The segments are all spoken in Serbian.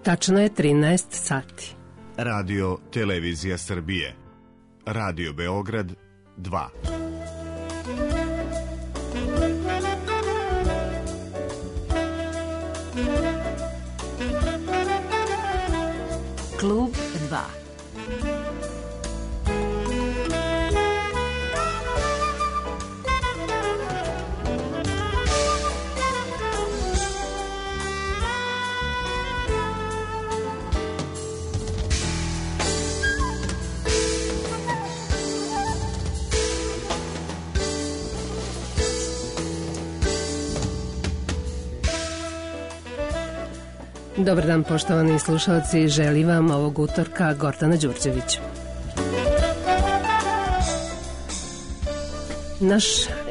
Tačno je 13 sati. Radio Televizija Srbije. Radio Beograd 2. Klub 2. Dobar dan, poštovani slušalci, želim vam ovog utorka Gordana Đurđević. Naš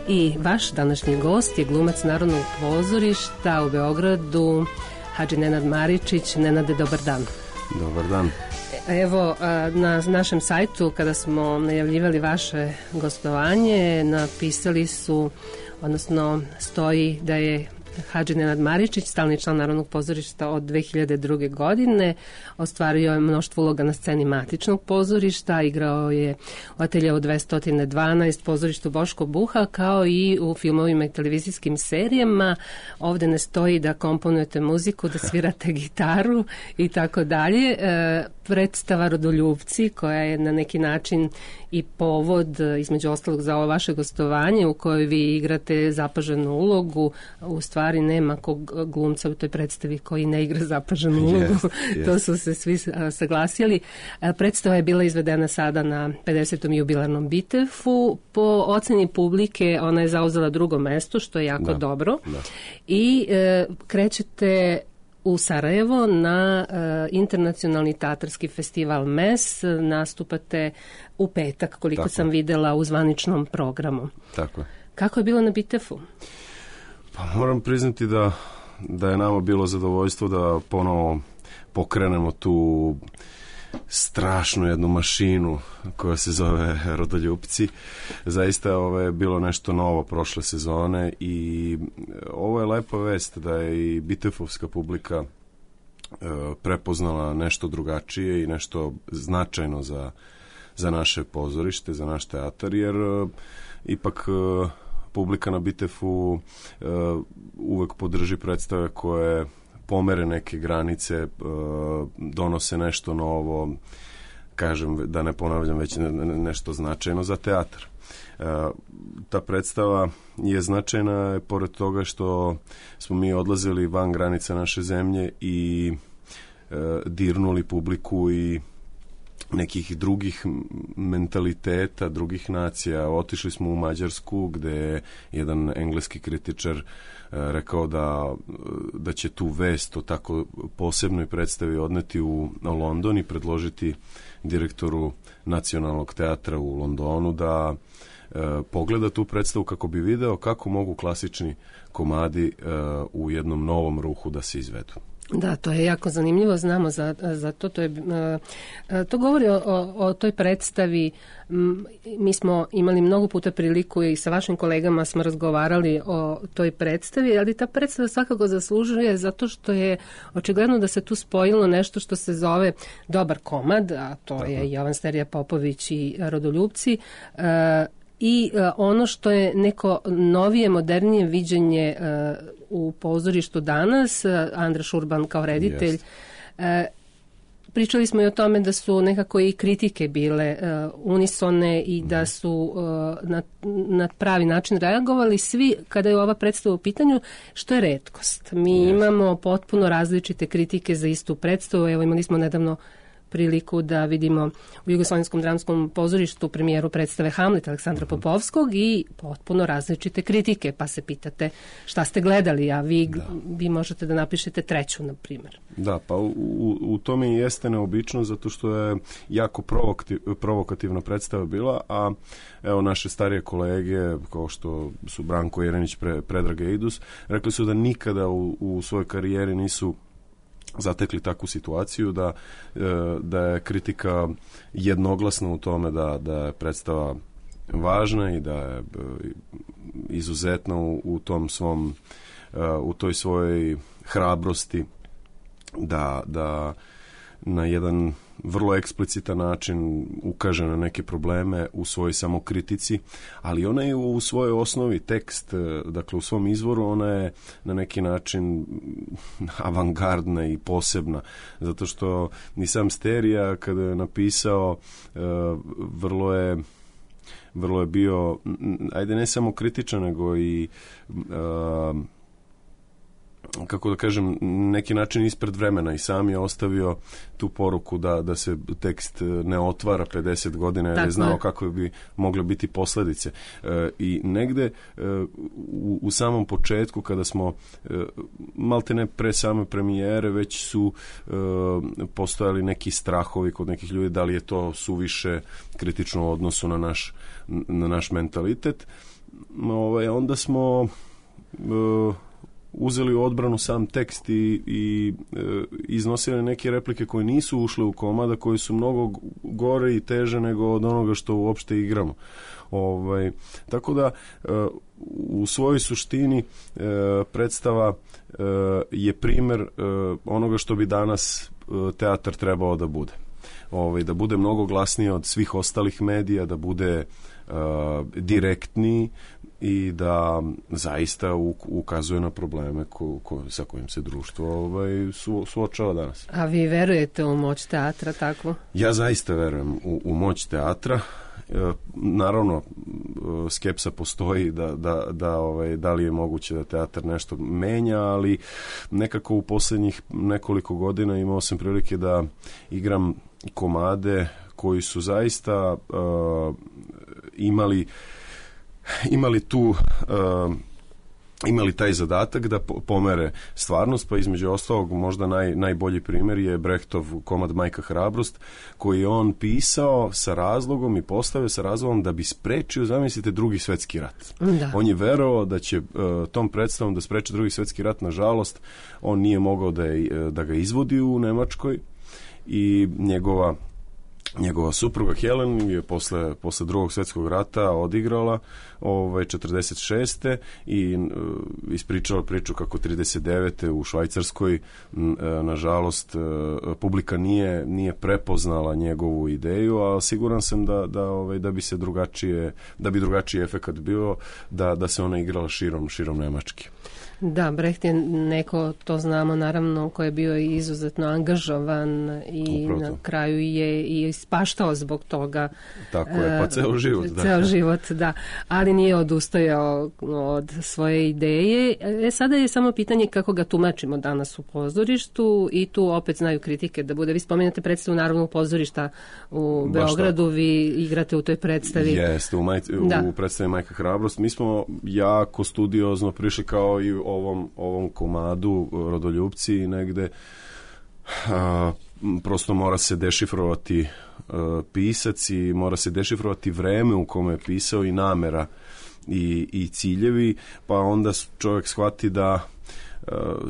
i vaš današnji gost je glumac Narodnog pozorišta u Beogradu, Hadži Nenad Maričić. Nenade, dobar dan. Dobar dan. Evo, na našem sajtu, kada smo najavljivali vaše gostovanje, napisali su, odnosno stoji da je Hadži Nenad Maričić, stalni član Narodnog pozorišta od 2002. godine, ostvario je mnoštvo uloga na sceni matičnog pozorišta, igrao je u Ateljeu 212, pozorištu Boško Buha, kao i u filmovima i televizijskim serijama. Ovde ne stoji da komponujete muziku, da svirate gitaru i tako dalje. Predstava Rodoljupci, koja je na neki način i povod, između ostalog, za ovo vaše gostovanje, u kojoj vi igrate zapaženu ulogu. U stvari nema kog glumca u toj predstavi koji ne igra zapaženu ulogu. To su se svi saglasili. Predstava je bila izvedena sada na 50. jubilarnom Bitefu. Po oceni publike ona je zauzela drugo mesto, što je jako dobro. I krećete u Sarajevo na internacionalni teatarski festival MES, nastupate u petak, koliko sam videla u zvaničnom programu. Tako je. Kako je bilo na Bitefu? Pa moram priznati da je nama bilo zadovoljstvo da ponovo pokrenemo tu strašnu jednu mašinu koja se zove Rodoljupci. Zaista je bilo nešto novo prošle sezone i ovo je lepa vest da je i bitefovska publika prepoznala nešto drugačije i nešto značajno za naše pozorište, za naš teatar, jer ipak publika na Bitefu uvek podrži predstave koje pomere neke granice, donose nešto novo, kažem, da ne ponavljam, već nešto značajno za teatar. Ta predstava je značajna pored toga što smo mi odlazili van granica naše zemlje i dirnuli publiku i nekih drugih mentaliteta, drugih nacija. Otišli smo u Mađarsku, gde je jedan engleski kritičar rekao da će tu vest o tako posebnoj predstavi odneti u London i predložiti direktoru Nacionalnog teatra u Londonu da pogleda tu predstavu kako bi video kako mogu klasični komadi u jednom novom ruhu da se izvedu. Da, to je jako zanimljivo, znamo za to. To govori o toj predstavi. Mi smo imali mnogo puta priliku i sa vašim kolegama smo razgovarali o toj predstavi, ali ta predstava svakako zaslužuje zato što je očigledno da se tu spojilo nešto što se zove dobar komad, a to je Jovan Sterija Popović i Rodoljupci, i ono što je neko novije, modernije viđenje u pozorištu danas, Andra Šurban kao reditelj. Pričali smo i o tome da su nekako i kritike bile unisone i da su na pravi način reagovali svi kada je ova predstava u pitanju, što je retkost. Mi imamo potpuno različite kritike za istu predstavu. Evo, imali smo nedavno priliku da vidimo u Jugoslovenskom dramskom pozorištu premijeru predstave Hamlet Aleksandra Popovskog i potpuno različite kritike, pa se pitate šta ste gledali, a vi možete da napišete treću, na primjer. Da, pa u tome i jeste neobično, zato što je jako provokativna predstava bila, a evo naše starije kolege, kao što su Branko Jerenić, Predrag Eidus, rekli su da nikada u svojoj karijeri nisu zatekli takvu situaciju da je kritika jednoglasna u tome da je predstava važna i da je izuzetna u tom svom u toj svojoj hrabrosti da na jedan vrlo eksplicitan način ukaže na neke probleme u svojoj samokritici, ali ona je u svojoj osnovi tekst, dakle u svom izvoru ona je na neki način avangardna i posebna, zato što ni sam Sterija kada je napisao vrlo je bio, ajde ne samo kritičan, nego i kako da kažem, neki način ispred vremena i sam je ostavio tu poruku da se tekst ne otvara 50 godina jer je znao kako bi mogle biti posledice. I negde u samom početku kada smo malte ne pre same premijere već su postojali neki strahovi kod nekih ljudi da li je to suviše kritično u odnosu na naš mentalitet. Onda smo uzeli u odbranu sam tekst i iznosili neke replike koje nisu ušle u komada, koje su mnogo gore i teže nego od onoga što uopšte igramo. Tako da u svojoj suštini predstava je primer onoga što bi danas teatar trebao da bude. Da bude mnogo glasniji od svih ostalih medija, da bude direktniji i da zaista ukazuje na probleme sa kojim se društvo suočava danas. A vi verujete u moć teatra tako? Ja zaista verujem u moć teatra. Naravno, skepsa postoji da li je moguće da teatar nešto menja, ali nekako u posljednjih nekoliko godina imao sam prilike da igram komade koji su zaista imali taj zadatak da pomere stvarnost, pa između ostalog možda najbolji primjer je Brechtov komad Majka Hrabrost, koji je on pisao sa razlogom i postavio sa razlogom da bi sprečio, zamislite, Drugi svjetski rat. Da. On je verovao da će tom predstavom da spreči Drugi svjetski rat. Nažalost, on nije mogao da ga izvodi u Nemačkoj i njegova supruga Helen je posle Drugog svjetskog rata odigrala 46. i ispričala priču kako 39. u Švajcarskoj nažalost publika nije prepoznala njegovu ideju, a siguran sam da bi drugačiji efekat bio da se ona igrala širom Nemačke. Da, Brecht je neko, to znamo naravno, ko je bio izuzetno angažovan i upravo na kraju je i ispaštao zbog toga. Tako je, pa ceo život. Da. Ceo život, da. Ali nije odustajao od svoje ideje. Sada je samo pitanje kako ga tumačimo danas u pozorištu i tu opet znaju kritike da bude. Vi spomenete predstavu Narodnog pozorišta u Beogradu, vi igrate u toj predstavi. Jeste, u predstavi Majka Hrabrost. Mi smo jako studiozno prišli kao i ovom komadu Rodoljupci i negde prosto mora se dešifrovati pisac i mora se dešifrovati vreme u kome je pisao i namera i ciljevi, pa onda čovjek shvati da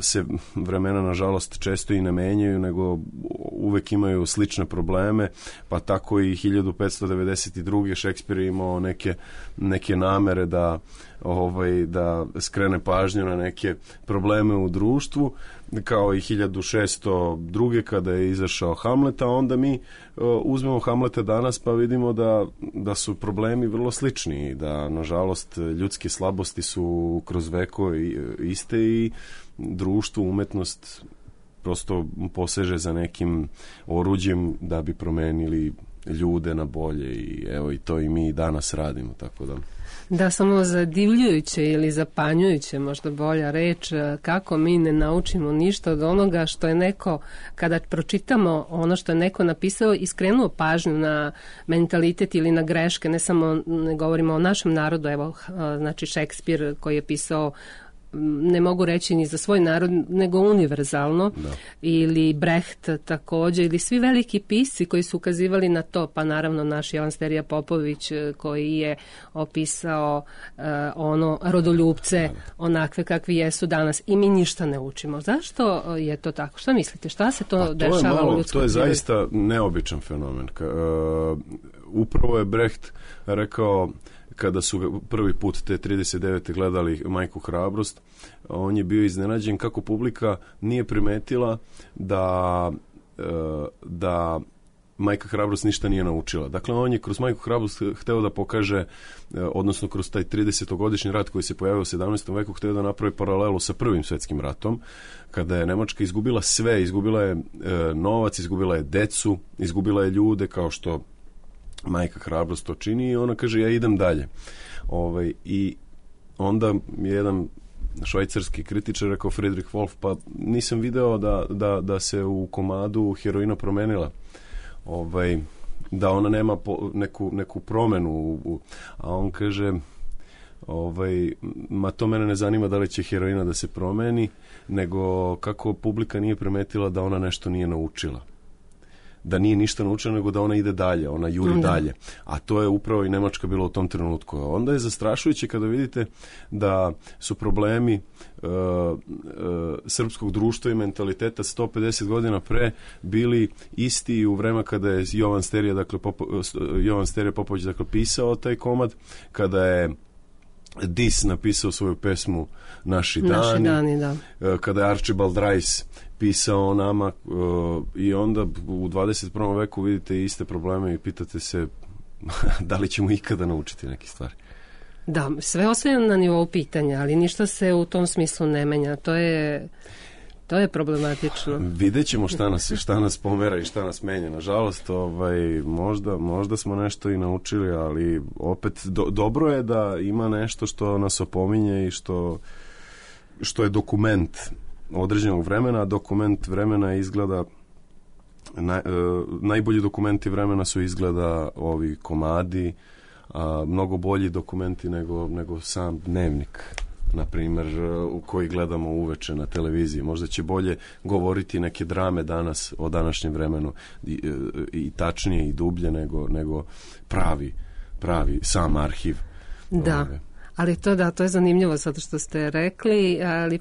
se vremena nažalost često i ne menjaju, nego uvek imaju slične probleme, pa tako i 1592. Šekspir je imao neke namere da skrene pažnju na neke probleme u društvu, kao i 1602. kada je izašao Hamlet, a onda mi uzmemo Hamleta danas pa vidimo da su problemi vrlo slični i da nažalost ljudske slabosti su kroz veko iste i društvo, umetnost prosto poseže za nekim oruđem da bi promenili ljude na bolje i evo i to i mi danas radimo, tako da... Da, samo zadivljujuće ili zapanjujuće, možda bolja reč, kako mi ne naučimo ništa od onoga što je neko, kada pročitamo ono što je neko napisao i skrenuo pažnju na mentalitet ili na greške, ne govorimo o našem narodu, evo, znači Šekspir koji je pisao, ne mogu reći ni za svoj narod, nego univerzalno, ili Brecht također, ili svi veliki pisci koji su ukazivali na to, pa naravno naš Jovan Sterija Popović koji je opisao rodoljupce onakve kakvi jesu danas i mi ništa ne učimo. Zašto je to tako? Šta mislite? Šta se to dešava u ljudskom? To je zaista neobičan fenomen. Upravo je Brecht rekao kada su ga prvi put te 39. gledali Majku Hrabrost, on je bio iznenađen kako publika nije primetila da Majka Hrabrost ništa nije naučila. Dakle, on je kroz Majku Hrabrost hteo da pokaže, odnosno kroz taj 30-godišnji rat koji se pojavio u 17. veku, hteo da napravi paralelu sa Prvim svetskim ratom, kada je Nemačka izgubila sve, izgubila je novac, izgubila je decu, izgubila je ljude, kao što Majka Hrabrost to čini, i ona kaže, ja idem dalje. I onda je jedan švajcarski kritičar rekao, Friedrich Wolf, pa nisam video da se u komadu heroina promenila. Da ona nema neku promenu, a on kaže, ma to mene ne zanima da li će heroina da se promeni, nego kako publika nije primetila da ona nešto nije naučila. Da nije ništa naučila, nego da ona ide dalje, ona juri dalje. A to je upravo i Nemačka bila u tom trenutku. Onda je zastrašujuće kada vidite da su problemi srpskog društva i mentaliteta 150 godina pre bili isti u vreme kada je Jovan Sterija Popović pisao taj komad, kada je Dis napisao svoju pesmu Naši dani, da. Kada je Archibald Rice pisao o nama, i onda u 21. veku vidite iste probleme i pitate se da li ćemo ikada naučiti neke stvari. Da, sve ostaje na nivou pitanja, ali ništa se u tom smislu ne menja. To je problematično. Vidjet ćemo šta nas pomera i šta nas menja. Nažalost, možda smo nešto i naučili, ali opet dobro je da ima nešto što nas opominje i što je dokument određenog vremena. Dokument vremena izgleda najbolji dokumenti vremena su izgleda ovi komadi, mnogo bolji dokumenti nego sam dnevnik, na primjer, u koji gledamo uveče na televiziji. Možda će bolje govoriti neke drame danas o današnjem vremenu i tačnije i dublje nego pravi sam arhiv. Da. Ali to je zanimljivo zato što ste rekli, ali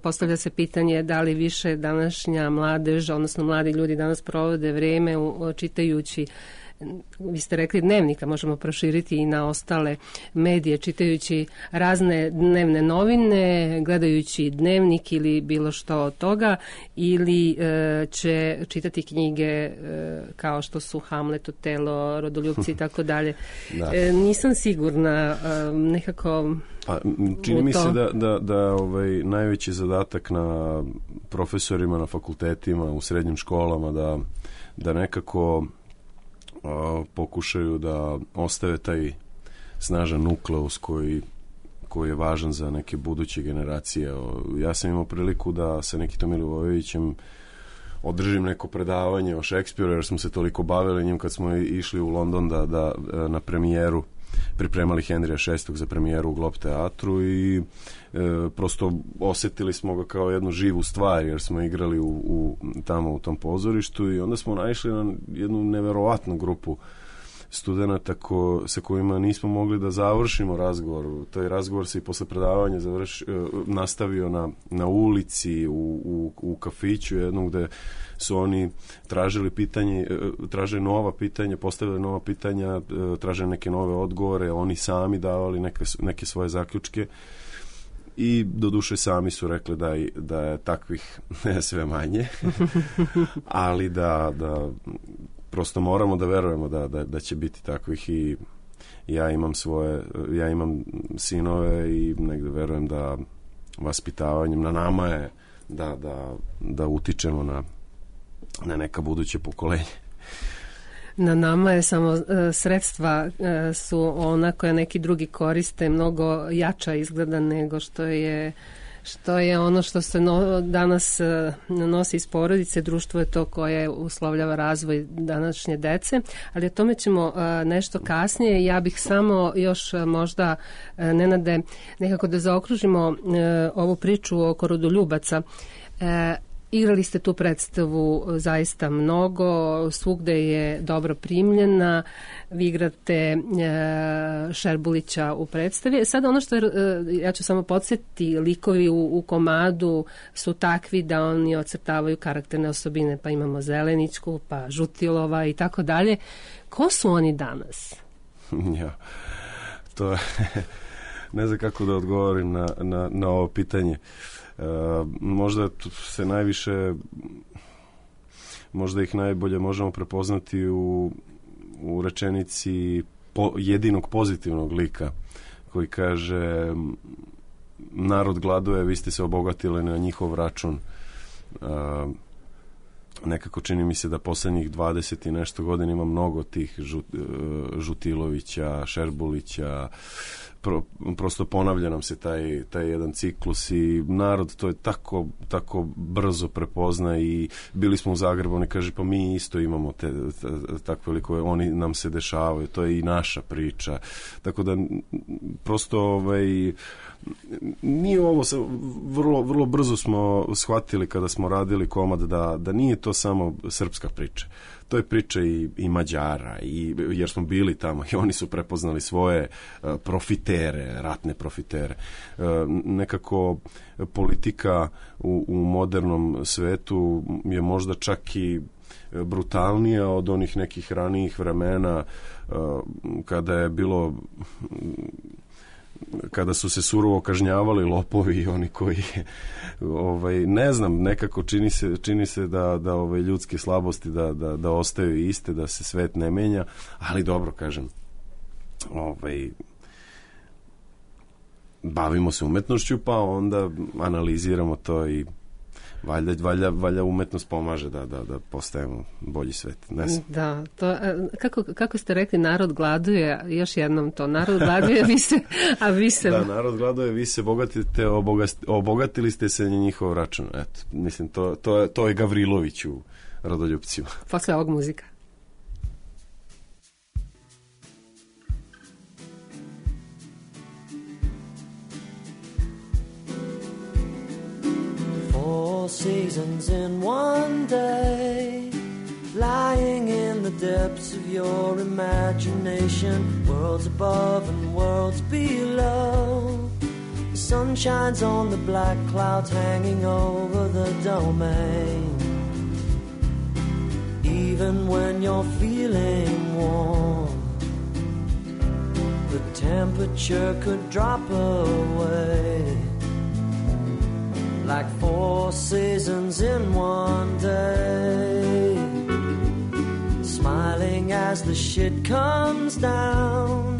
postavlja se pitanje da li više današnja mladež, odnosno mladi ljudi danas provode vrijeme čitajući, vi ste rekli dnevnika, možemo proširiti i na ostale medije, čitajući razne dnevne novine, gledajući dnevnik ili bilo što od toga, ili će čitati knjige kao što su Hamlet, Otelo, Rodoljupci i tako dalje. Nisam sigurna, nekako... Pa, čini mi se da najveći zadatak na profesorima, na fakultetima, u srednjim školama, da nekako pokušaju da ostave taj snažan nukleus koji je važan za neke buduće generacije. Ja sam imao priliku da sa Nikitom Milivojevićem održim neko predavanje o Šekspiru, jer smo se toliko bavili njim kad smo išli u London da na premijeru pripremali Henrija VI za premijeru u Globe teatru, i prosto osjetili smo ga kao jednu živu stvar, jer smo igrali tamo u tom pozorištu, i onda smo naišli na jednu neverovatnu grupu studenata sa kojima nismo mogli da završimo razgovor. Taj razgovor se i posle predavanja nastavio na ulici, u kafiću jednom, gde su oni tražili nova pitanja, postavili nova pitanja, tražili neke nove odgovore, oni sami davali neke svoje zaključke, i doduše sami su rekli da je takvih sve manje, ali da prosto moramo da verujemo da će biti takvih, i ja imam sinove i negde verujem da vaspitavanjem na nama je da utičemo na neka buduće pokolenje. Na nama je samo sredstva su ona koja neki drugi koriste, mnogo jača izgleda nego što je ono što se danas nosi iz porodice. Društvo je to koje uslovljava razvoj današnje dece, ali o tome ćemo nešto kasnije. Ja bih samo još možda, Nenade, nekako da zaokružimo ovu priču oko rodoljubaca. Igrali ste tu predstavu zaista mnogo, svugde je dobro primljena, vi igrate Šerbulića u predstavi. Sad ono što ja ću samo podsjetiti, likovi u komadu su takvi da oni ocrtavaju karakterne osobine, pa imamo Zeleničku, pa Žutilova i tako dalje. Ko su oni danas? Ja. to je ne znam kako da odgovorim na ovo pitanje. Možda se najviše, možda ih najbolje možemo prepoznati u rečenici jedinog pozitivnog lika koji kaže: narod gladuje, vi ste se obogatili na njihov račun. Nekako čini mi se da poslednjih 20 i nešto godina ima mnogo tih Žutilovića, Šerbulića, prosto ponavlja nam se taj jedan ciklus i narod to je tako brzo prepozna. I bili smo u Zagrebu, oni kaže pa mi isto imamo takve likove, oni nam se dešavaju, to je i naša priča, tako da prosto nije ovo, vrlo brzo smo shvatili kada smo radili komad da nije to samo srpska priča. To je priča i Mađara, jer smo bili tamo i oni su prepoznali svoje profitere, ratne profitere. Nekako politika u modernom svetu je možda čak i brutalnija od onih nekih ranijih vremena kada je bilo, kada su se surovo kažnjavali lopovi i oni koji ne znam, nekako čini se da ljudske slabosti da ostaju iste, da se svet ne menja, ali dobro, kažem, bavimo se umetnošću, pa onda analiziramo to i valjda umetnost pomaže da postajemo bolji svet. Ne znam. Da, to, kako ste rekli, narod gladuje, još jednom to, narod gladuje, a vi se... Da, narod gladuje, vi se bogatite, obogatili ste se na njihov račun. Eto, mislim, to je Gavrilović u Rodoljupcima. Posle ovog muzika. Seasons in one day, lying in the depths of your imagination, worlds above and worlds below. The sun shines on the black clouds hanging over the domain. Even when you're feeling warm, the temperature could drop away. Like 4 seasons in one day, smiling as the shit comes down.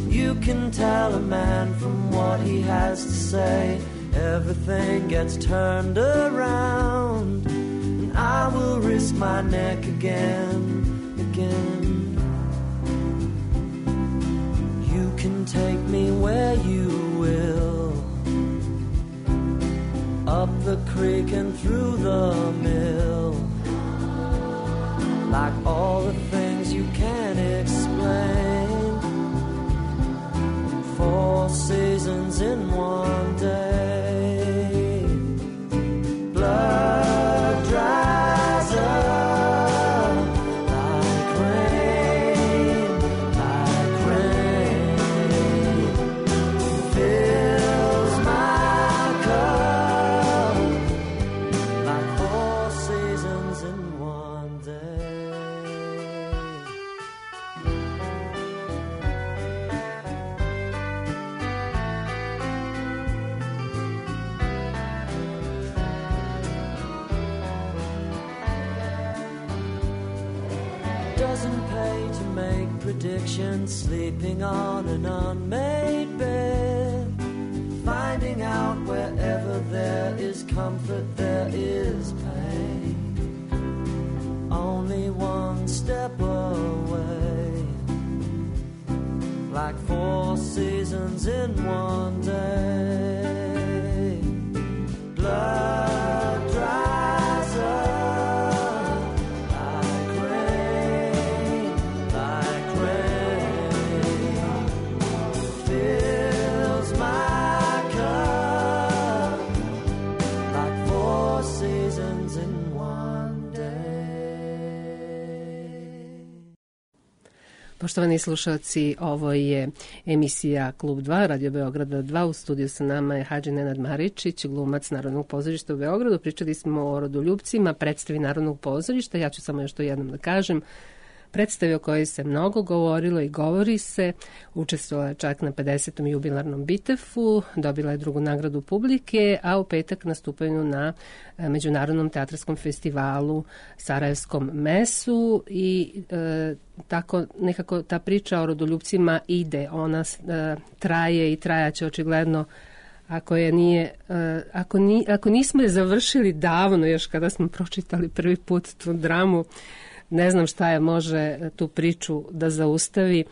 You can tell a man from what he has to say. Everything gets turned around, and I will risk my neck again. You can take me where you will, up the creek and through the mill, like all the things you can't explain. 4 seasons in one day, blood dries up like rain, fills my cup. Doesn't pay to make predictions, sleeping on an unmade bed, finding out wherever there is comfort there is pain. Only one step away, like 4 seasons in one day. Blood dries up like rain, fills my cup, like 4 seasons in one day. Poštovani slušalci, ovo je emisija Klub 2, Radio Beograda 2. U studiju sa nama je Hadži Nenad Maričić, glumac Narodnog pozorišta u Beogradu. Pričali smo o Rodoljupcima, predstavi Narodnog pozorišta. Ja ću samo još to jednom da kažem. predstavi o kojoj se mnogo govorilo i govori se. Učestvovala je čak na 50. jubilarnom Bitefu, dobila je drugu nagradu publike, a u petak nastupaju na Međunarodnom teatrarskom festivalu Sarajevskom mesu i tako nekako ta priča o rodoljupcima ide. Ona traje i trajaće očigledno. Ako nismo je završili davno, još kada smo pročitali prvi put tu dramu, ne znam šta je može tu priču da zaustavi,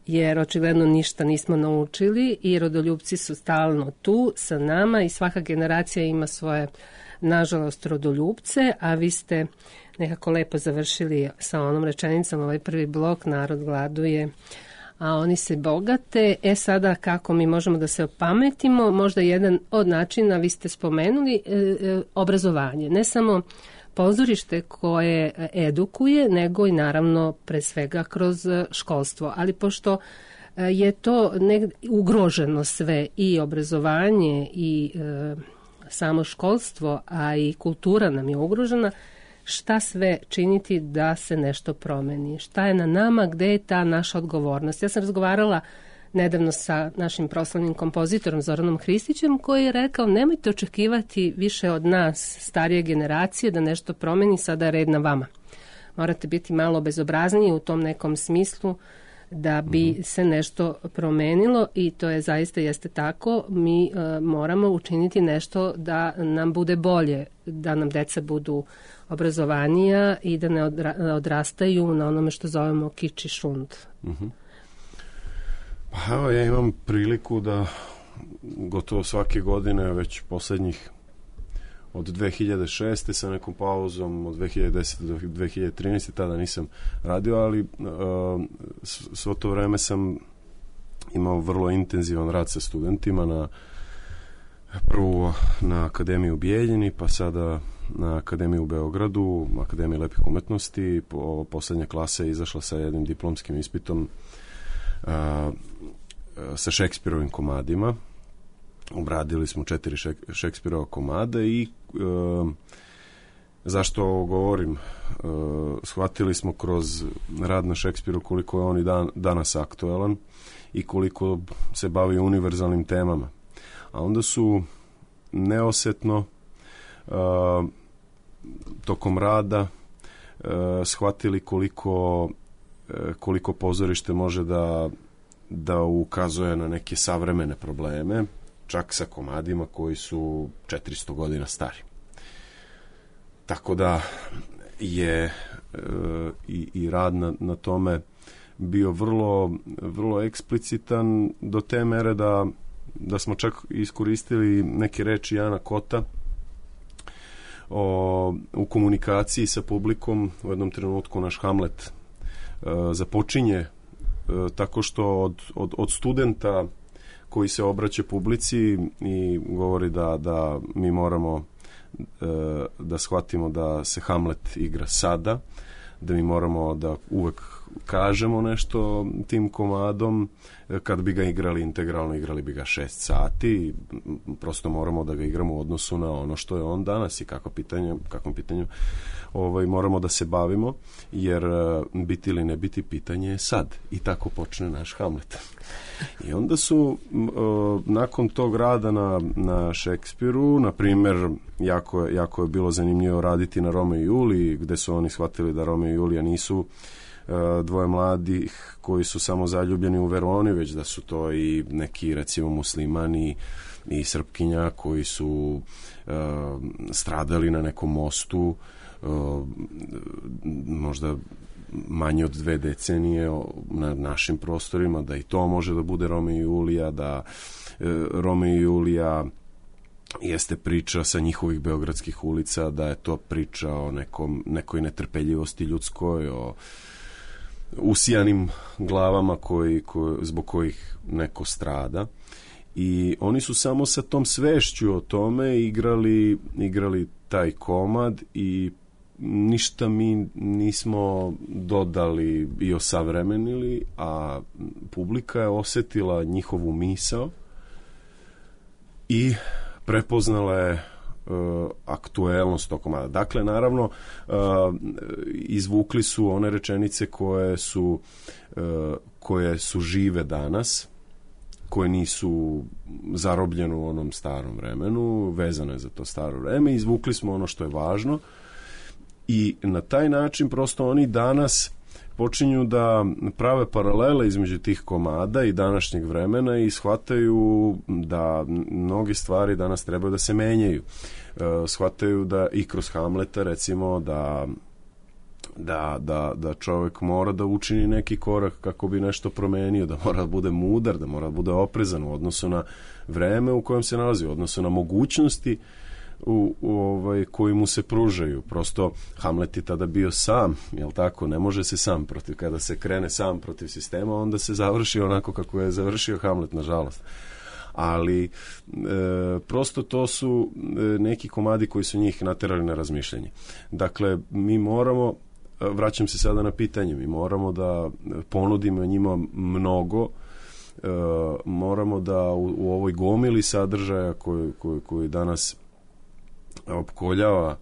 jer očigledno ništa nismo naučili i rodoljupci su stalno tu sa nama i svaka generacija ima svoje, nažalost, rodoljupce, a vi ste nekako lepo završili sa onom rečenicom, ovaj prvi blok, narod gladuje, a oni se bogate. Sada kako mi možemo da se opametimo, možda jedan od načina, vi ste spomenuli, obrazovanje. Ne samo pozorište koje edukuje, nego i naravno pre svega kroz školstvo. Ali pošto je to ugroženo sve, i obrazovanje i samo školstvo, a i kultura nam je ugrožena, šta sve činiti da se nešto promeni? Šta je na nama, gde je ta naša odgovornost? Ja sam razgovarala nedavno sa našim proslavnim kompozitorom Zoranom Hristićem, koji je rekao, nemojte očekivati više od nas, starije generacije, da nešto promeni, sada je red na vama. Morate biti malo bezobrazniji u tom nekom smislu da bi se nešto promenilo i to je zaista jeste tako. Mi moramo učiniti nešto da nam bude bolje, da nam deca budu obrazovanija i da ne odrastaju na onome što zovemo kič i šund. Pa evo, ja imam priliku da gotovo svake godine, već poslednjih od 2006. sa nekom pauzom od 2010. do 2013. tada nisam radio, ali svo to vreme sam imao vrlo intenzivan rad sa studentima, prvo na Akademiji u Bijeljini, pa sada na Akademiji u Beogradu, Akademiji lepih umetnosti. Poslednja klasa je izašla sa jednim diplomskim ispitom sa Šekspirovim komadima. Obradili smo 4 Šekspirova komada i zašto ovo govorim? Shvatili smo kroz rad na Šekspiru koliko je on i danas aktuelan i koliko se bavi univerzalnim temama. A onda su neosetno tokom rada shvatili koliko pozorište može da ukazuje na neke savremene probleme, čak sa komadima koji su 400 godina stari. Tako da je i rad na tome bio vrlo, vrlo eksplicitan do te mere da smo čak iskoristili neke reči Jana Kota u komunikaciji sa publikom. U jednom trenutku naš Hamlet započinje tako što od studenta koji se obraća publici i govori da mi moramo da shvatimo da se Hamlet igra sada, da mi moramo da uvek kažemo nešto tim komadom. Kad bi ga igrali integralno, igrali bi ga 6 sati. Prosto moramo da ga igramo u odnosu na ono što je on danas i kakvom pitanju moramo da se bavimo, jer biti ili ne biti pitanje je sad. I tako počne naš Hamlet. I onda su nakon tog rada na Šekspiru, na primjer, jako je bilo zanimljivo raditi na Romeo i Juliji, gde su oni shvatili da Romeo i Julija nisu dvoje mladih koji su samo zaljubljeni u Veroni, već da su to i neki, recimo, muslimani i Srpkinja koji su stradali na nekom mostu možda manje od 2 decenije na našim prostorima, da i to može da bude Romeo i Julija, da Romeo i Julija jeste priča sa njihovih beogradskih ulica, da je to priča o nekoj netrpeljivosti ljudskoj, o usijanim glavama zbog kojih neko strada. I oni su samo sa tom svešću o tome igrali taj komad i ništa mi nismo dodali i osavremenili, a publika je osetila njihovu misao i prepoznala je aktuelnost tog komada. Dakle, naravno, izvukli su one rečenice koje su žive danas, koje nisu zarobljene u onom starom vremenu, vezano je za to staro vreme, izvukli smo ono što je važno i na taj način prosto oni danas počinju da prave paralele između tih komada i današnjeg vremena i shvataju da mnoge stvari danas trebaju da se menjaju. Shvataju da i kroz Hamleta recimo da čovjek mora da učini neki korak kako bi nešto promenio, da mora da bude mudar, da mora da bude oprezan u odnosu na vreme u kojem se nalazi, u odnosu na mogućnosti koji mu se pružaju. Prosto Hamlet je tada bio sam, jel tako? Ne može se sam protiv, kada se krene sam protiv sistema, onda se završi onako kako je završio Hamlet, nažalost. Ali prosto to su neki komadi koji su njih naterali na razmišljanje. Dakle, mi moramo, vraćam se sada na pitanje, mi moramo da ponudimo njima mnogo, moramo da u ovoj gomili sadržaja koji danas opkoljava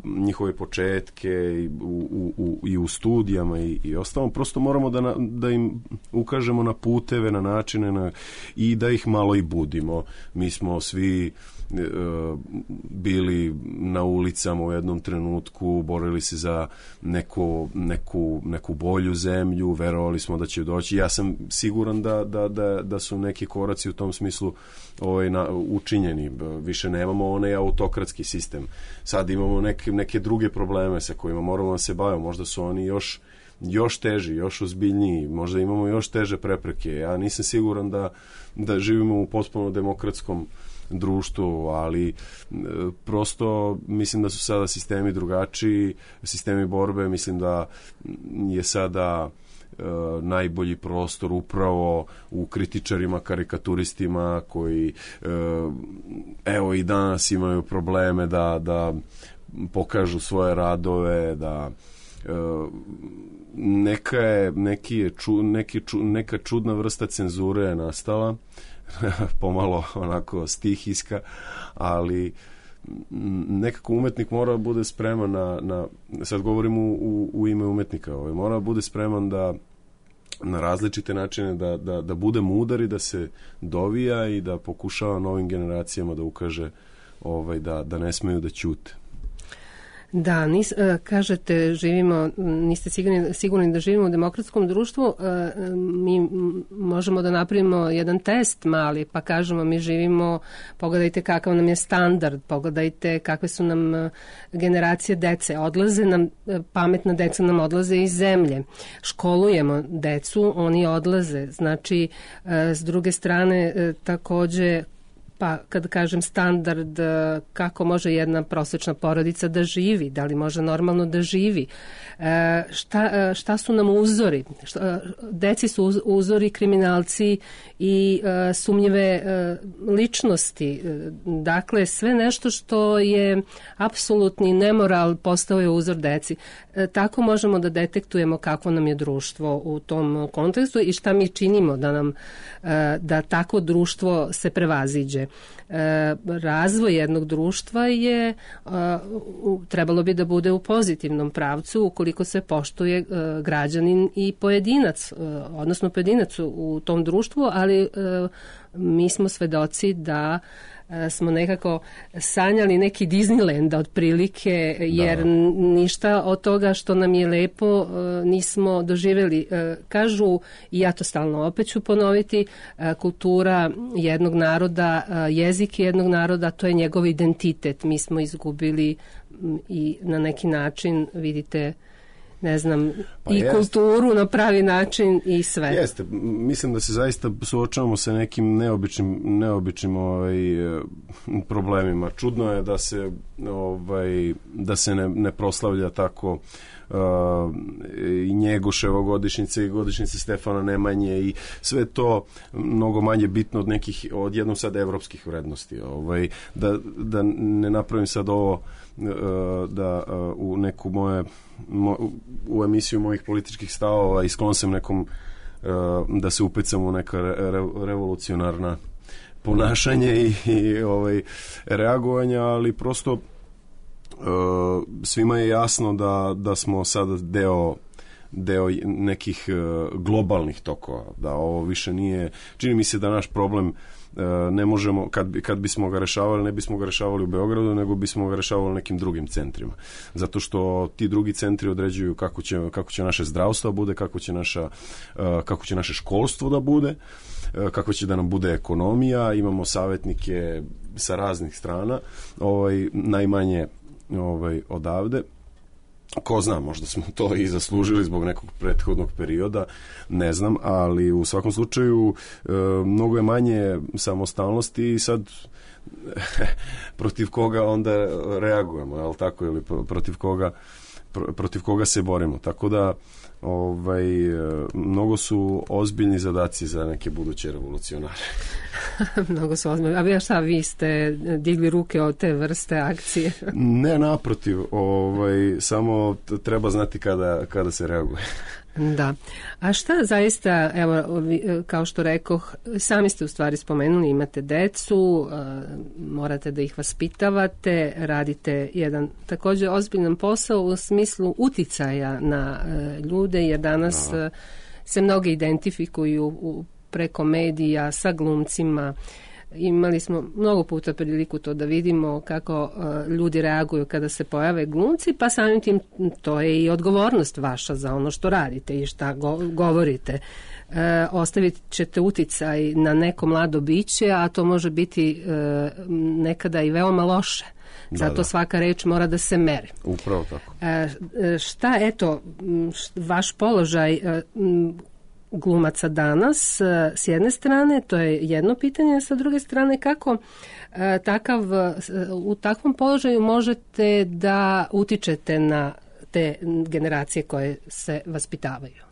njihove početke i u studijama i ostalo, prosto moramo da im ukažemo na puteve, na načine i da ih malo i budimo. Mi smo svi bili na ulicama u jednom trenutku, borili se za neku bolju zemlju, verovali smo da će doći. Ja sam siguran da su neki koraci u tom smislu učinjeni. Više nemamo onaj autokratski sistem. Sad imamo neke druge probleme sa kojima moramo da se bavimo. Možda su oni još teži, još ozbiljniji, možda imamo još teže prepreke. Ja nisam siguran da živimo u potpuno demokratskom društvu, ali prosto mislim da su sada sistemi drugačiji, sistemi borbe, mislim da je sada najbolji prostor upravo u kritičarima, karikaturistima koji evo i danas imaju probleme da pokažu svoje radove, da neka čudna vrsta cenzure je nastala, pomalo onako stihijska, ali nekako umetnik mora da bude spreman na sad govorim u ime umetnika, mora da bude spreman na različite načine da bude mudar i da se dovija i da pokušava novim generacijama da ukaže da ne smeju da ćute. Da, kažete niste sigurni da živimo u demokratskom društvu, mi možemo da napravimo jedan test mali, pa kažemo mi živimo, pogledajte kakav nam je standard, pogledajte kakve su nam generacije dece, odlaze nam, pametna deca nam odlaze iz zemlje, školujemo decu, oni odlaze, znači s druge strane takođe, pa kad kažem standard, kako može jedna prosječna porodica da živi, da li može normalno da živi, šta su nam uzori, deci su uzori kriminalci i sumnjive ličnosti, dakle sve nešto što je apsolutni nemoral postao je uzor deci. Tako možemo da detektujemo kakvo nam je društvo u tom kontekstu i šta mi činimo da takvo društvo se prevaziđe. Razvoj jednog društva je trebalo bi da bude u pozitivnom pravcu ukoliko se poštuje građanin i pojedinac, odnosno pojedinac u tom društvu, ali mi smo svedoci da smo nekako sanjali neki Disneyland otprilike, jer ništa od toga što nam je lepo nismo doživjeli. Kažu, i ja to stalno opet ću ponoviti, kultura jednog naroda, jezik jednog naroda, to je njegov identitet. Mi smo izgubili i na neki način, vidite, ne znam, kulturu na pravi način i sve. Jeste, mislim da se zaista suočavamo sa nekim neobičnim problemima. Čudno je da se ne proslavlja tako i Njegoševa godišnjice i godišnjice Stefana Nemanje i sve to mnogo manje bitno od jednom sad evropskih vrednosti. Da ne napravim sad ovo da u neku u emisiju mojih političkih stavova i sklon sam nekom da se upecam u neka revolucionarna ponašanje i reagovanja, ali prosto svima je jasno da smo sada deo nekih globalnih tokova, da ovo više nije, čini mi se da naš problem ne možemo, kad bismo ga rešavali, ne bismo ga rešavali u Beogradu, nego bismo ga rešavali u nekim drugim centrima. Zato što ti drugi centri određuju kako će naše zdravstvo bude, kako će naše školstvo da bude, kako će da nam bude ekonomija, imamo savjetnike sa raznih strana, najmanje odavde. Ko zna, možda smo to i zaslužili zbog nekog prethodnog perioda, ne znam, ali u svakom slučaju mnogo je manje samostalnosti i sad protiv koga onda reagujemo, je li tako, ili protiv koga se borimo. Tako da mnogo su ozbiljni zadaci za neke buduće revolucionare. Mnogo su ozbiljni. A vi ste digli ruke od te vrste akcije? Ne, naprotiv. Samo treba znati kada se reaguje. Da. A šta zaista, evo, kao što rekoh, sami ste u stvari spomenuli, imate decu, morate da ih vaspitavate, radite jedan također ozbiljan posao u smislu uticaja na ljude, jer danas se mnogi identifikuju preko medija sa glumcima. Imali smo mnogo puta priliku to da vidimo kako ljudi reaguju kada se pojave glumci, pa samim tim to je i odgovornost vaša za ono što radite i šta govorite. Ostavit ćete uticaj na neko mlado biće, a to može biti nekada i veoma loše. Zato svaka reč mora da se meri. Upravo tako. Šta, vaš položaj glumaca danas, s jedne strane, to je jedno pitanje, a sa druge strane, kako u takvom položaju možete da utičete na te generacije koje se vaspitavaju?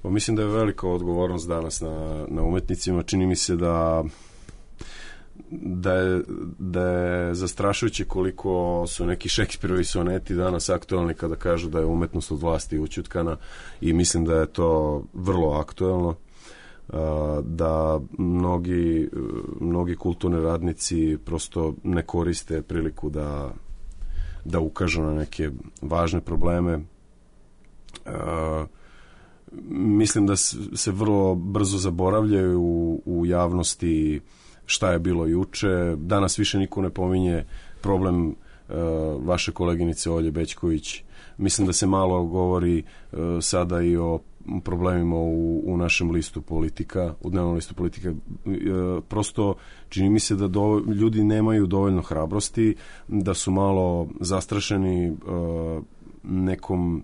Mislim da je velika odgovornost danas na umetnicima. Čini mi se da je zastrašujuće koliko su neki Šekspirovi soneti danas aktualni kada kažu da je umetnost od vlasti ućutkana, i mislim da je to vrlo aktuelno, da mnogi kulturni radnici prosto ne koriste priliku da ukažu na neke važne probleme. Mislim da se vrlo brzo zaboravljaju u javnosti šta je bilo juče. Danas više niko ne pominje problem vaše koleginice Olje Bećković. Mislim da se malo govori sada i o problemima u našem listu Politika, u dnevnom listu Politika. Prosto čini mi se da ljudi nemaju dovoljno hrabrosti, da su malo zastrašeni nekom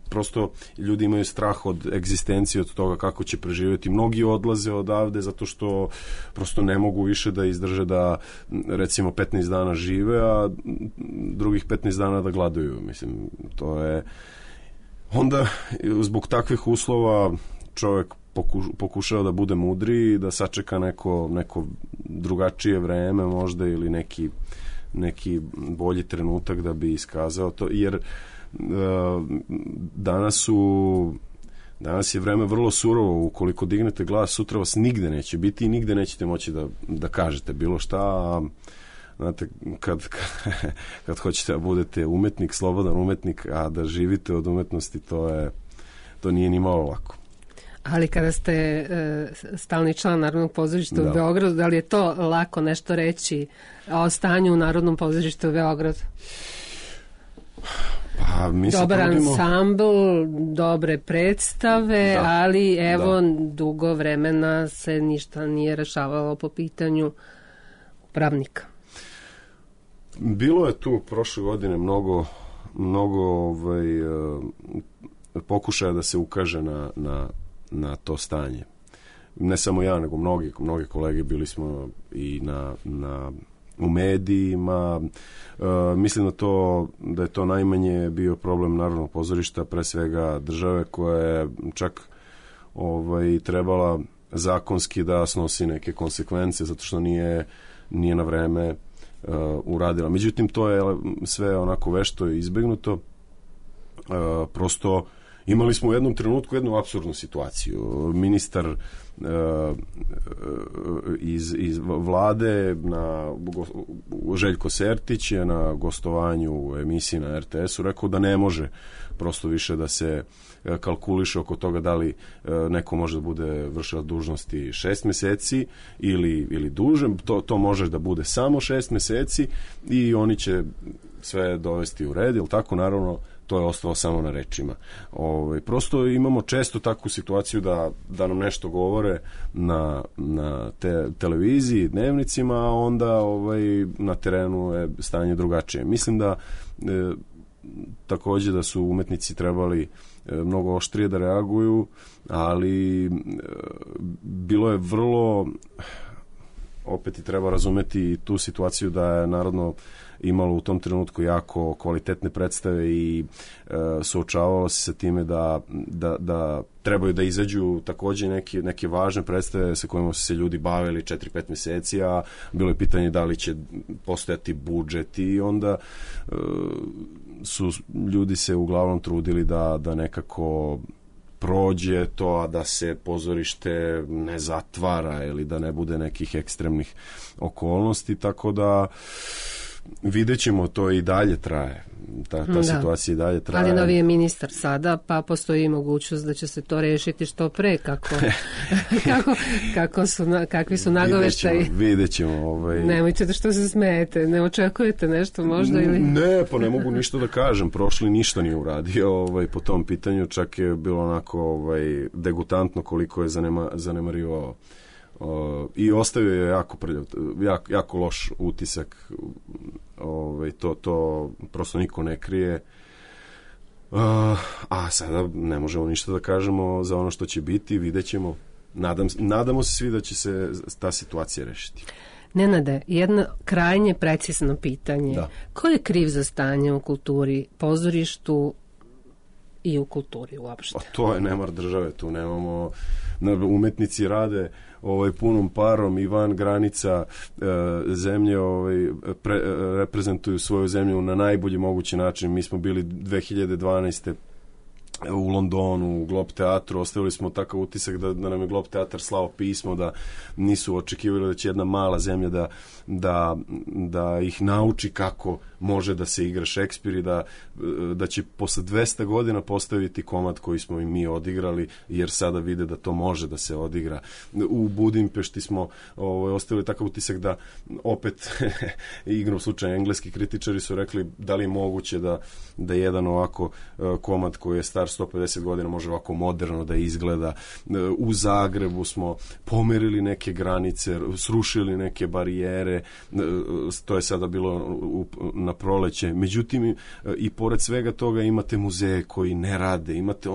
prosto ljudi imaju strah od egzistencije, od toga kako će preživjeti. Mnogi odlaze odavde zato što prosto ne mogu više da izdrže da recimo 15 dana žive, a drugih 15 dana da gladuju. Mislim, to je onda zbog takvih uslova čovjek pokušava da bude mudriji, da sačeka neko drugačije vreme možda, ili neki bolji trenutak da bi iskazao to, jer danas je vreme vrlo surovo. Ukoliko dignete glas, sutra vas nigde neće biti i nigde nećete moći da kažete bilo šta. Znate, kad hoćete da budete umetnik, slobodan umetnik, a da živite od umetnosti, to nije ni malo lako. Ali kada ste stalni član Narodnog pozorišta u Beogradu, da li je to lako nešto reći o stanju u Narodnom pozorištu u Beogradu? Pa, dobar ansambl, dobre predstave, ali dugo vremena se ništa nije rešavalo po pitanju upravnika. Bilo je tu prošle godine mnogo pokušaja da se ukaže na to stanje. Ne samo ja, nego mnogi kolege, bili smo i u medijima. Mislim da je to najmanje bio problem Narodnog pozorišta, pre svega države, koja je čak trebala zakonski da snosi neke konsekvence zato što nije na vreme uradila. Međutim, to je sve onako vešto izbegnuto. Prosto Imali smo u jednom trenutku jednu apsurdnu situaciju. Ministar iz vlade Željko Sertić je na gostovanju u emisiji na RTS-u rekao da ne može prosto više da se kalkuliše oko toga da li neko može da bude vršilac dužnosti 6 meseci ili duže. To može da bude samo 6 meseci i oni će sve dovesti u red, ili tako, naravno, to je ostalo samo na rečima. Prosto imamo često takvu situaciju da nam nešto govore na televiziji, dnevnicima, a onda na terenu je stanje drugačije. Mislim da takođe da su umetnici trebali mnogo oštrije da reaguju, ali bilo je vrlo, opet i treba razumeti tu situaciju da je Narodno imalo u tom trenutku jako kvalitetne predstave i suočavalo se sa time da trebaju da izađu takođe neke važne predstave sa kojima su se ljudi bavili 4-5 meseci, a bilo je pitanje da li će postojati budžet i onda su ljudi se uglavnom trudili da nekako prođe to, a da se pozorište ne zatvara ili da ne bude nekih ekstremnih okolnosti, tako da vidjet ćemo, to i dalje traje. Ta situacija i dalje traje. Ali novi je ministar sada, pa postoji mogućnost da će se to rešiti što pre, kakvi su nagoveštaji. Vidjet ćemo. Nemojte da što se smejete, ne očekujete nešto možda ili... Ne, pa ne mogu ništa da kažem, prošli ništa nije uradio po tom pitanju, čak je bilo onako degutantno koliko je zanemarivao i ostavio je jako prljav, jako loš utisak. To prosto niko ne krije, a sada ne možemo ništa da kažemo za ono što će biti, vidjet ćemo. Nadamo se svi da će se ta situacija rešiti. Nenade, jedno krajnje precizno pitanje. Da. Ko je kriv za stanje u kulturi, pozorištu i u kulturi uopšte? To je nemar države, tu nemamo, umetnici rade punom parom i van granica zemlje, reprezentuju svoju zemlju na najbolji mogući način. Mi smo bili 2012. u Londonu, u Globe teatru, ostavili smo takav utisak da nam je Globe teatar slao pismo, da nisu očekivali da će jedna mala zemlja da ih nauči kako može da se igra Šekspir i da će posle 200 godina postaviti komad koji smo i mi odigrali, jer sada vide da to može da se odigra. U Budimpešti smo ostavili takav utisak da opet igrom slučaja engleski kritičari su rekli da li je moguće da jedan ovako komad koji je star 150 godina može ovako moderno da izgleda. U Zagrebu smo pomerili neke granice, srušili neke barijere, to je sada bilo na proleće. Međutim, i pored svega toga imate muzeje koji ne rade, imate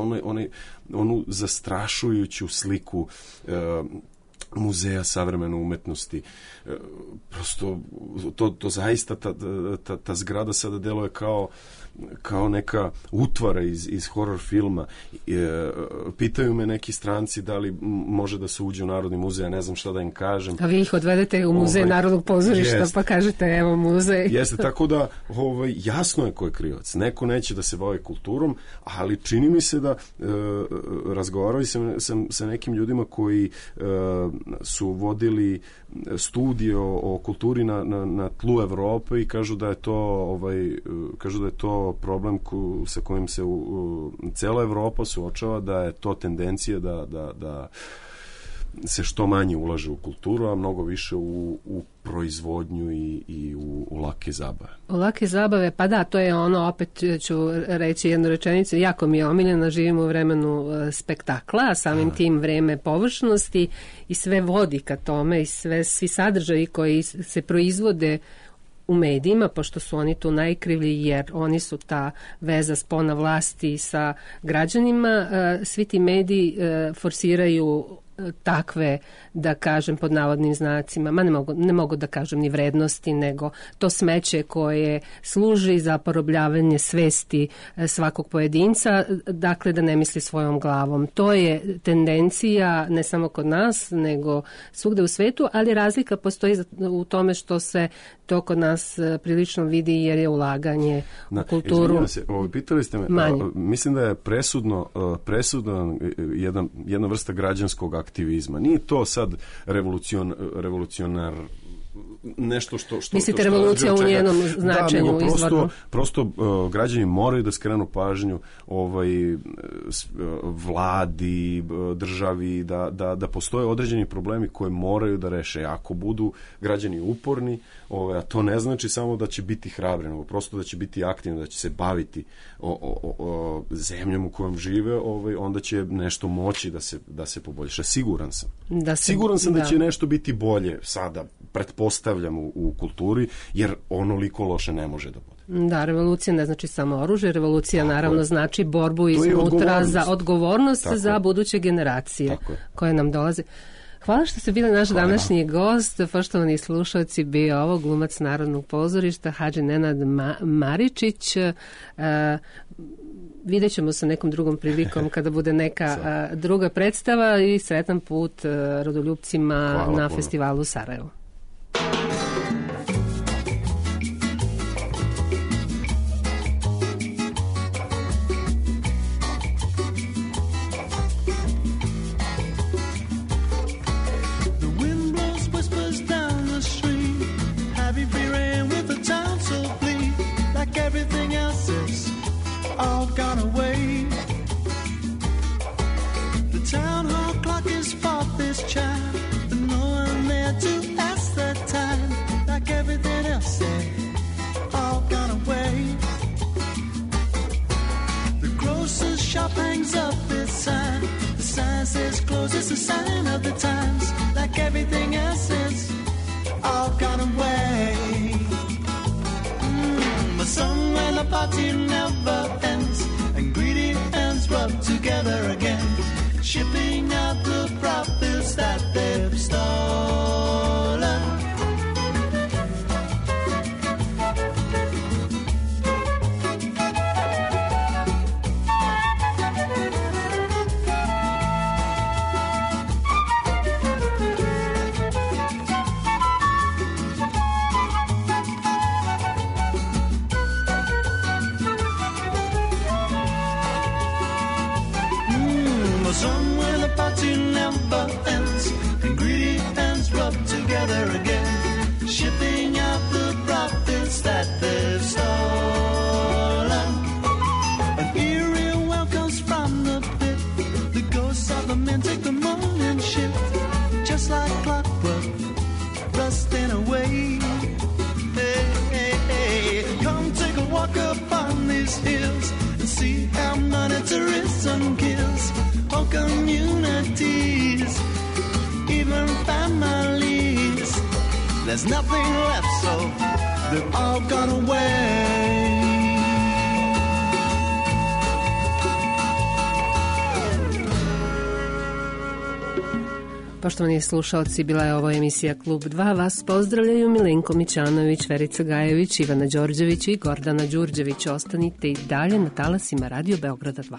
onu zastrašujuću sliku muzeja savremene umetnosti. Prosto to zaista ta zgrada sada deluje kao neka utvara iz horror filma. Pitaju me neki stranci da li može da se uđe u Narodni muzej, ja ne znam šta da im kažem. A vi ih odvedete u muzej Narodnog pozorišta, pa kažete evo muzej. Jeste, tako da jasno je ko je krivac. Neko neće da se bavi kulturom, ali čini mi se da razgovarali sam sa nekim ljudima koji su vodili studije o kulturi na tlu Evrope i kažu da je to problem sa kojim se cela Evropa suočava, da je to tendencija da se što manje ulaže u kulturu, a mnogo više u proizvodnju i u lake zabave. U lake zabave, pa da, to je ono, opet ću reći jednu rečenicu, jako mi je omiljena, živimo u vremenu spektakla, a samim tim vreme površnosti i sve vodi ka tome i svi sadržaji koji se proizvode u medijima, pošto su oni tu najkrivlji, jer oni su ta veza spona vlasti sa građanima, svi ti mediji forsiraju takve, da kažem pod navodnim znacima, ne mogu da kažem ni vrednosti, nego to smeće koje služi za porobljavanje svesti svakog pojedinca, dakle da ne misli svojom glavom. To je tendencija ne samo kod nas, nego svugde u svetu, ali razlika postoji u tome što se to kod nas prilično vidi jer je ulaganje u kulturu. Pitali ste me, mislim da je presudno jedna vrsta građanskog aktivizma. Nije to sad revolucionar nešto što mislite revolucija u njenom značenju izvorno? Prosto građani moraju da skrenu pažnju vladi, državi, da postoje određeni problemi koje moraju da reše. Ako budu građani uporni, a to ne znači samo da će biti hrabri, nego prosto da će biti aktivni, da će se baviti zemljom u kojom žive, onda će nešto moći da se poboljša. Siguran sam da će nešto biti bolje sada, pretpostavljam, u kulturi, jer onoliko loše ne može da bude. Da, revolucija ne znači samo oružje, revolucija naravno znači borbu iznutra za odgovornost za buduće generacije koje nam dolaze. Hvala što ste bili naš današnji gost, poštovani slušalci, bio ovo glumac Narodnog pozorišta Hadži Nenad Maričić. Vidjet ćemo se nekom drugom prilikom kada bude neka druga predstava i sretan put rodoljupcima na festivalu u Sarajevu. It's a sign of the times, like everything else is all gone away. A song when the party never ends and greedy ends rub together again, shipping out the profits that they've stolen. Together again, shipping out the profits that they've stolen. An eerie well comes from the pit. The ghosts of the men take the morning shift, just like clockwork, rusting away. Hey, hey, hey, come take a walk upon these hills and see how monetarism kills whole communities, even families. There's nothing left, so they've all gone away. Poštovani slušalci, bila je ovo emisija Klub 2. Vas pozdravljaju Milenko Mićanović, Verica Gajević, Ivana Đorđević i Gordana Đurđević. Ostanite i dalje na talasima Radio Beograda 2.